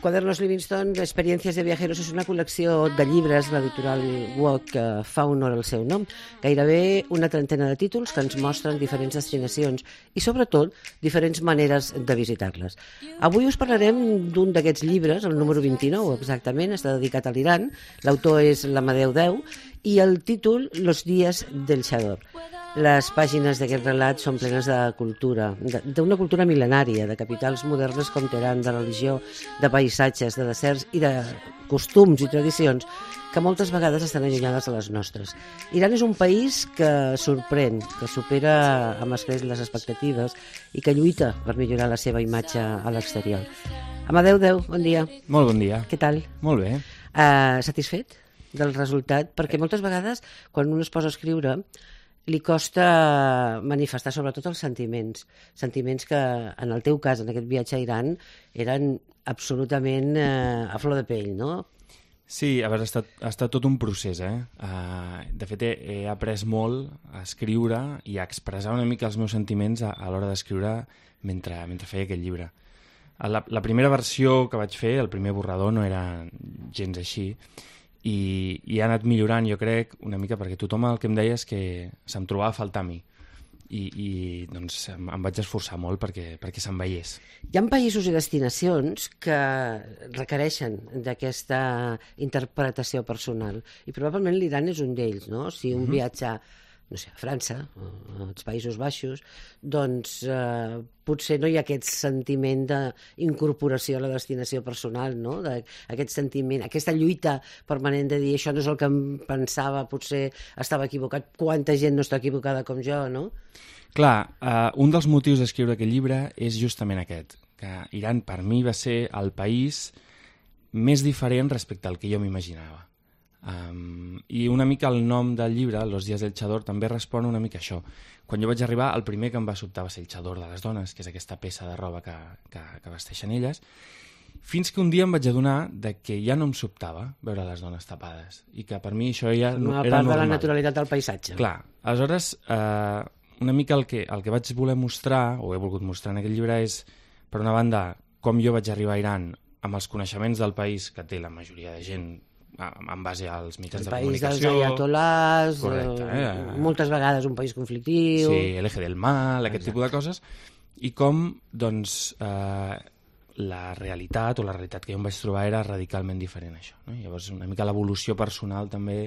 Quadernos Livingstone, Experiències de Viajeros, és una col·lecció de llibres, l'editorial Woc, que fa honor al seu nom. Gairebé una trentena de títols que ens mostren diferents destinacions i, sobretot, diferents maneres de visitar-les. Avui us parlarem d'un d'aquests llibres, el número 29 exactament, està dedicat a l'Iran. L'autor és l'Amadeu Deu i el títol Los días del Chador. Les pàgines d'aquest relat són plenes de cultura, d'una cultura mil·lenària, de capitals modernes com Teheran, de religió, de paisatges, de deserts i de costums i tradicions que moltes vegades estan allunyades de les nostres. Iran és un país que sorprèn, que supera amb escreix les expectatives i que lluita per millorar la seva imatge a l'exterior. Amadeu Deu, bon dia. Molt bon dia. Què tal? Molt bé. Satisfet del resultat? Perquè moltes vegades, quan un es posa a escriure, li costa manifestar sobretot els sentiments que en el teu cas, en aquest viatge a Iran, eren absolutament a flor de pell, no? Sí, a veure, ha estat tot un procés, De fet, he après molt a escriure i a expressar una mica els meus sentiments a l'hora d'escriure mentre feia aquest llibre. La primera versió que vaig fer, el primer borrador, no era gens així, i ha anat millorant, jo crec, una mica, perquè tothom el que em deia és que se'm trobava a faltar a mi. I doncs em vaig esforçar molt perquè se'n veiés. Hi ha països i destinacions que requereixen d'aquesta interpretació personal, i probablement l'Iran és un d'ells, no? Si un viatge, no sé, a França, als Països Baixos, doncs potser no hi ha aquest sentiment d'incorporació a la destinació personal, no? Aquest sentiment, aquesta lluita permanent de dir això no és el que em pensava, potser estava equivocat, quanta gent no està equivocada com jo, no? Clar, un dels motius d'escriure aquest llibre és justament aquest, que Iran per mi va ser el país més diferent respecte al que jo m'imaginava. I una mica el nom del llibre, Los días del Chador, també respon una mica a això. Quan jo vaig arribar, el primer que em va sobtar va ser el xador de les dones, que és aquesta peça de roba que vesteixen elles, fins que un dia em vaig adonar que ja no em sobtava veure les dones tapades, i que per mi això ja era normal. Una part de la naturalitat del paisatge. Clar, aleshores, una mica el que vaig voler mostrar, o he volgut mostrar en aquest llibre, és, per una banda, com jo vaig arribar a Iran amb els coneixements del país que té la majoria de gent en base als mitjans de comunicació. El país dels ayatolás, moltes vegades un país conflictiu. Sí, l'eje del mal, aquest tipus de coses. I com, doncs, la realitat o la realitat que jo em vaig trobar era radicalment diferent a això, no? Llavors, una mica l'evolució personal també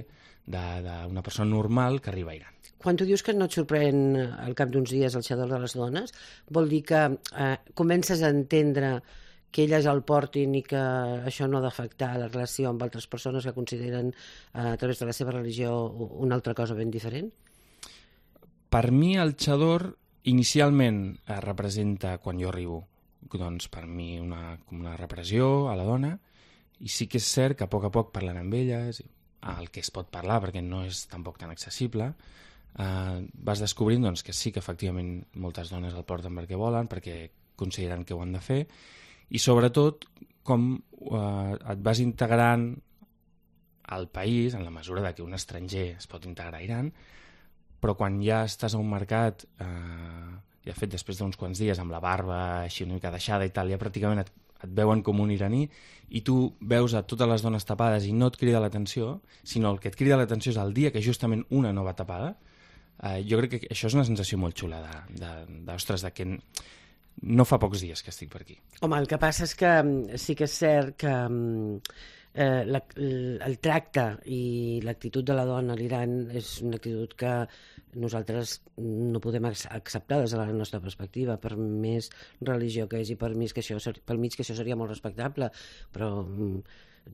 d'una persona normal que arriba a Iran. Quan tu dius que no et sorprèn al cap d'uns dies el xador de les dones, vol dir que comences a entendre que elles el portin i que això no ha d'afectar la relació amb altres persones que consideren a través de la seva religió una altra cosa ben diferent? Per mi el xador inicialment representa, quan jo arribo, doncs per mi una repressió a la dona, i sí que és cert que a poc parlant amb elles, el que es pot parlar perquè no és tampoc tan accessible, vas descobrint doncs, que sí que efectivament moltes dones el porten perquè volen, perquè consideren que ho han de fer, i sobretot com et vas integrant al país en la mesura que un estranger es pot integrar a Iran, però quan ja estàs a un mercat, i de fet després d'uns quants dies amb la barba així una mica deixada i tal, ja pràcticament et veuen com un iraní, i tu veus a totes les dones tapades i no et crida l'atenció, sinó el que et crida l'atenció és el dia que justament una no va tapada. Jo crec que això és una sensació molt xula d'ostres, de que no fa pocs dies que estic per aquí. Home, el que passa és que sí que és cert que el tracte i l'actitud de la dona a l'Iran és una actitud que nosaltres no podem acceptar des de la nostra perspectiva, per més religió que és i per mig que això seria molt respectable, però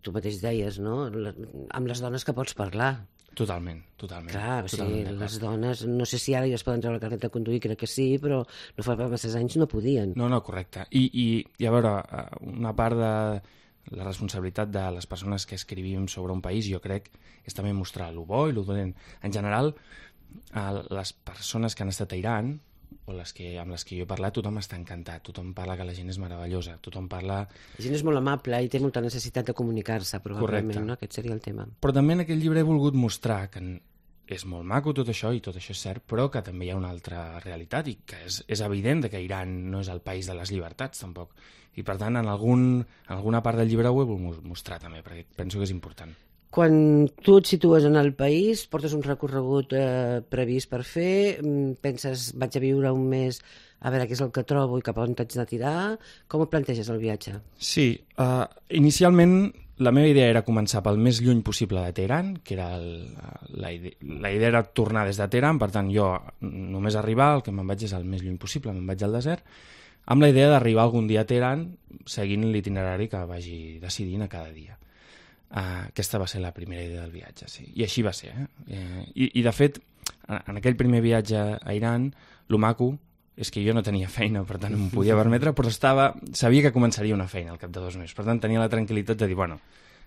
tu mateix deies, no? Amb les dones que pots parlar. Totalment. Clar, o sigui, les dones, no sé si ara ja es poden treure el carnet de conduir, crec que sí, però no fa massa anys no podien. No, correcte. I a veure, una part de la responsabilitat de les persones que escrivim sobre un país, jo crec, és també mostrar lo bo i lo dolent. En general, les persones que han estat a Iran, o amb les que jo he parlat, tothom està encantat, tothom parla que la gent és meravellosa, tothom parla... La gent és molt amable i té molta necessitat de comunicar-se, probablement. Correcte. No? Aquest seria el tema. Però també en aquest llibre he volgut mostrar que és molt maco tot això, i tot això és cert, però que també hi ha una altra realitat, i que és evident que Iran no és el país de les llibertats, tampoc. I, per tant, en alguna part del llibre ho he volgut mostrar també, perquè penso que és important. Quan tu et situes en el país, portes un recorregut previst per fer, penses, vaig a viure un mes a veure què és el que trobo i cap on t'haig de tirar, com et planteges el viatge? Sí, inicialment la meva idea era començar pel més lluny possible de Teheran, que era la idea era tornar des de Teheran, per tant jo només arribar, el que me'n vaig és el més lluny possible, me'n vaig al desert, amb la idea d'arribar algun dia a Teheran seguint l'itinerari que vagi decidint a cada dia. Aquesta va ser la primera idea del viatge, sí. I així va ser. I de fet, en aquell primer viatge a Iran, lo maco és que jo no tenia feina, per tant em podia permetre, però sabia que començaria una feina al cap de 2 mesos. Per tant, tenia la tranquil·litat de dir, bueno...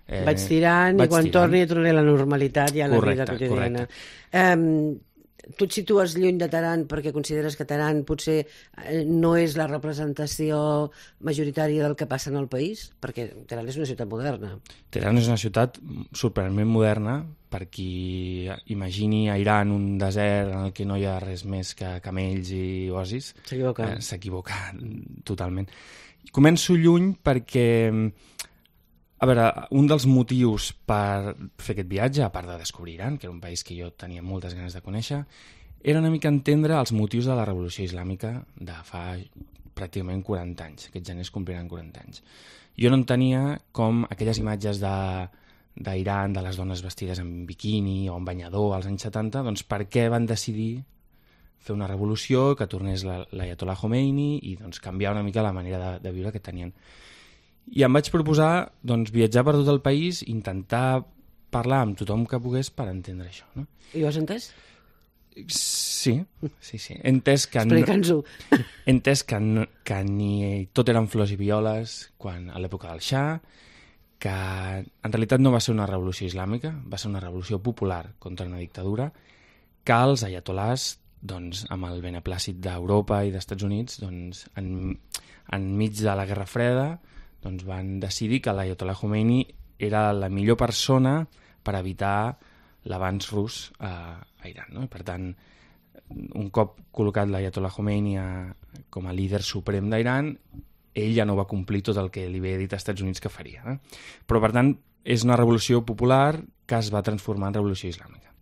vaig tirant i quan torni a la normalitat i a la vida quotidiana. Tu et situes lluny de Teheran perquè consideres que Teheran potser no és la representació majoritària del que passa en el país? Perquè Teheran és una ciutat moderna. Teheran és una ciutat sorprenentment moderna. Per qui imagini a Iran un desert en el que no hi ha res més que camells i oasis, s'equivoca totalment. Començo lluny perquè... A veure, un dels motius per fer aquest viatge, a part de descobrir Iran, que era un país que jo tenia moltes ganes de conèixer, era una mica entendre els motius de la revolució islàmica de fa pràcticament 40 anys. Aquests geners compliran 40 anys. Jo no entenia com aquelles imatges d'Iran, de les dones vestides en biquini o en banyador als anys 70, doncs per què van decidir fer una revolució, que tornés l'Ayatollah Khomeini i doncs, canviar una mica la manera de viure que tenien. I em vaig proposar doncs, viatjar per tot el país, intentar parlar amb tothom que pogués per entendre això. No? I ho has entès? Sí. He entès que explica'ns-ho. He entès que ni tot eren flors i violes a l'època del Shah, que en realitat no va ser una revolució islàmica, va ser una revolució popular contra una dictadura, que els ayatolars, doncs, amb el beneplàcit d'Europa i d'Estats Units, doncs, enmig de la Guerra Freda, doncs van decidir que l'Ayatollah Khomeini era la millor persona per evitar l'avanç rus a Iran. No? I per tant, un cop col·locat l'Ayatollah Khomeini com a líder suprem d'Iran, ell ja no va complir tot el que li havia dit als Estats Units que faria. Però, per tant, és una revolució popular que es va transformar en revolució islàmica.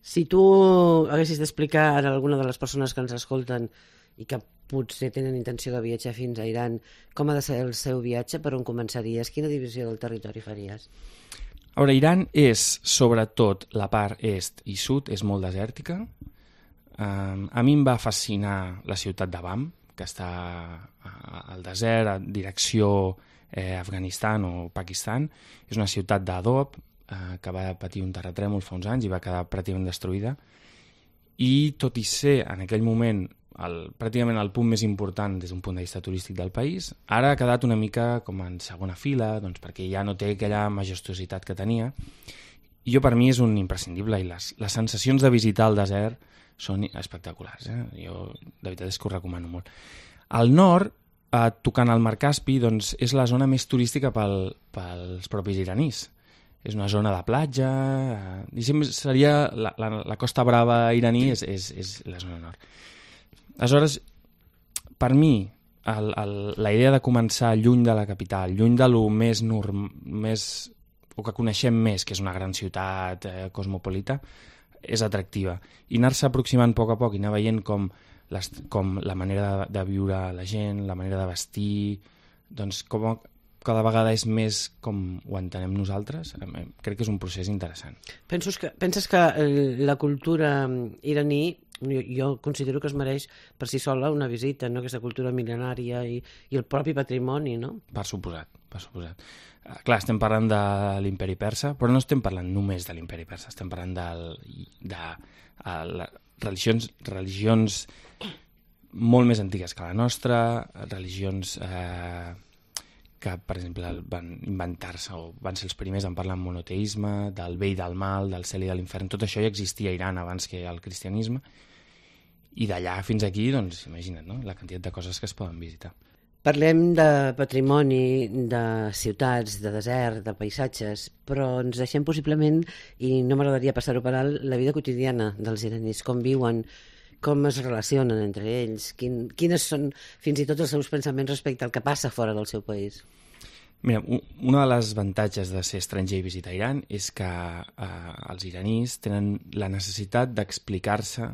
Si tu haguessis d'explicar a alguna de les persones que ens escolten i que potser tenen intenció de viatjar fins a Iran, com ha de ser el seu viatge, per on començaries? Quina divisió del territori faries? A veure, Iran és, sobretot, la part est i sud, és molt desèrtica. A mi em va fascinar la ciutat d'Abam, que està al desert, a direcció Afganistan o Pakistan. És una ciutat d'adob que va patir un terratrèmol fa uns anys i va quedar pràcticament destruïda. I tot i ser, en aquell moment, pràcticament el punt més important des d'un punt de vista turístic del país, ara ha quedat una mica com en segona fila, doncs perquè ja no té aquella majestuositat que tenia. I per mi és un imprescindible, i les sensacions de visitar el desert són espectaculars. Jo de veritat és que ho recomano molt. Al nord, tocant el mar Caspi, doncs, és la zona més turística pels propis iranís. És una zona de platja, seria la Costa Brava iraní és la zona nord. Aleshores, per mi, la idea de començar lluny de la capital, lluny de lo més o que coneixem més, que és una gran ciutat cosmopolita, és atractiva. I anar-se aproximant a poc i anar veient com la manera de viure la gent, la manera de vestir, doncs com cada vegada és més com ho entenem nosaltres, crec que és un procés interessant. Penses que la cultura iraní, jo considero que es mereix per si sola una visita, no? Aquesta cultura mil·lenària i el propi patrimoni, no? Per suposat. Clar, estem parlant de l'imperi persa, però no estem parlant només de l'imperi persa, estem parlant de religions molt més antigues que la nostra, religions que, per exemple, van inventar-se o van ser els primers en parlar en monoteisme, del bé i del mal, del cel i de l'infern. Tot això ja existia a Iran abans que el cristianisme. I d'allà fins aquí, doncs, imagina't, no? La quantitat de coses que es poden visitar. Parlem de patrimoni, de ciutats, de desert, de paisatges, però ens deixem possiblement, i no m'agradaria passar-ho per alt, la vida quotidiana dels iranis, com viuen, com es relacionen entre ells, quines són fins i tot els seus pensaments respecte al que passa fora del seu país. Mira, una de les avantatges de ser estranger i visitar Iran és que els iranís tenen la necessitat d'explicar-se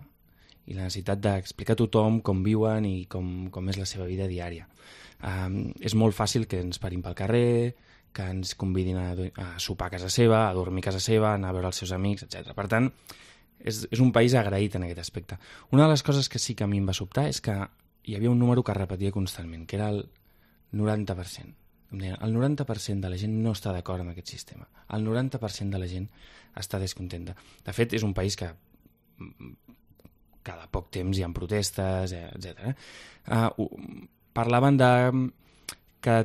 i la necessitat d'explicar a tothom com viuen i com és la seva vida diària. És molt fàcil que ens parin pel carrer, que ens convidin a sopar a casa seva, a dormir a casa seva, a anar a veure els seus amics, etc. Per tant, és un país agraït en aquest aspecte. Una de les coses que sí que a mi em va sobtar és que hi havia un número que es repetia constantment, que era el 90%. El 90% de la gent no està d'acord amb aquest sistema. El 90% de la gent està descontenta. De fet, és un país que cada poc temps hi ha protestes, etc. Parlaven que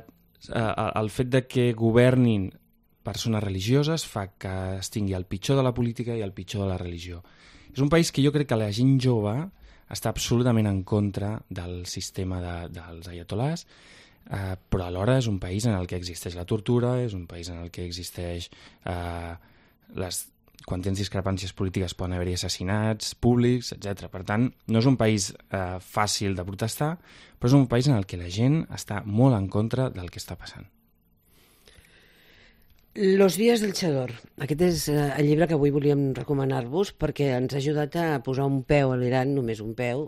el fet de que governin persones religioses fa que es tingui el pitjor de la política i el pitjor de la religió. És un país que jo crec que la gent jove està absolutament en contra del sistema dels ayatolás, però alhora és un país en el que existeix la tortura, és un país en el que existeix quan tens discrepàncies polítiques poden haver-hi assassinats públics, etc. Per tant, no és un país fàcil de protestar, però és un país en el que la gent està molt en contra del que està passant. Los días del Chador. Aquest és el llibre que avui volíem recomanar-vos perquè ens ha ajudat a posar un peu a l'Iran, només un peu.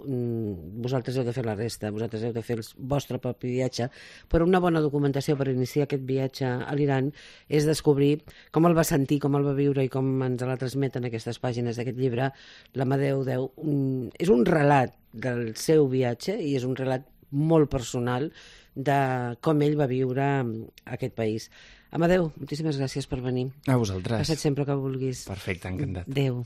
Vosaltres heu de fer la resta, vosaltres heu de fer el vostre propi viatge, però una bona documentació per iniciar aquest viatge a l'Iran és descobrir com el va sentir, com el va viure i com ens la transmeten aquestes pàgines d'aquest llibre, l'Amadeu Deu. És un relat del seu viatge i és un relat molt personal de com ell va viure aquest país. Amadeu, moltíssimes gràcies per venir. A vosaltres. Passa't sempre que vulguis. Perfecte, encantat. Adéu.